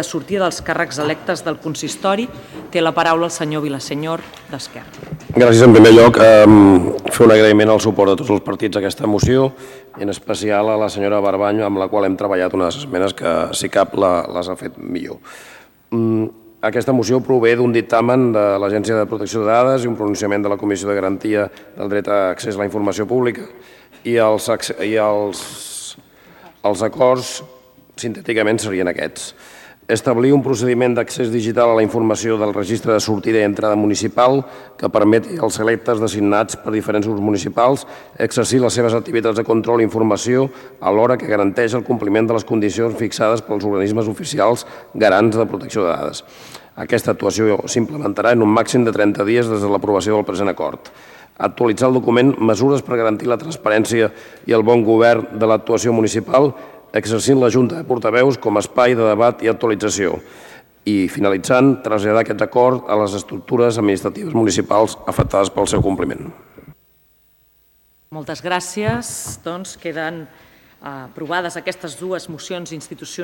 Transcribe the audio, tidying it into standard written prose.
de sortida dels càrrecs electes del consistori. Té la paraula el senyor Vilasenyor, d'Esquerra. Gràcies. En primer lloc, fer un agraïment al suport de tots els partits a aquesta moció, i en especial a la senyora Barbanyo, amb la qual hem treballat unes esmenes que, si cap, les ha fet millor. Aquesta moció prové d'un dictamen de l'Agència de Protecció de Dades i un pronunciament de la Comissió de Garantia del Dret a Accés a la Informació Pública, i els acords sintèticament serien aquests. Establir un procediment d'accés digital a la informació del registre de sortida i entrada municipal que permeti als electes designats per diferents grups municipals exercir les seves activitats de control i informació alhora que garanteix el compliment de les condicions fixades pels organismes oficials garants de protecció de dades. Aquesta actuació s'implementarà en un màxim de 30 dies des de l'aprovació del present acord. Actualitzar el document Mesures per garantir la transparència i el bon govern de l'actuació municipal, exercint la Junta de Portaveus com a espai de debat i actualització. I, finalitzant, traslladar aquest acord a les estructures administratives municipals afectades pel seu compliment. Moltes gràcies. Doncs queden aprovades aquestes dues mocions institucionals.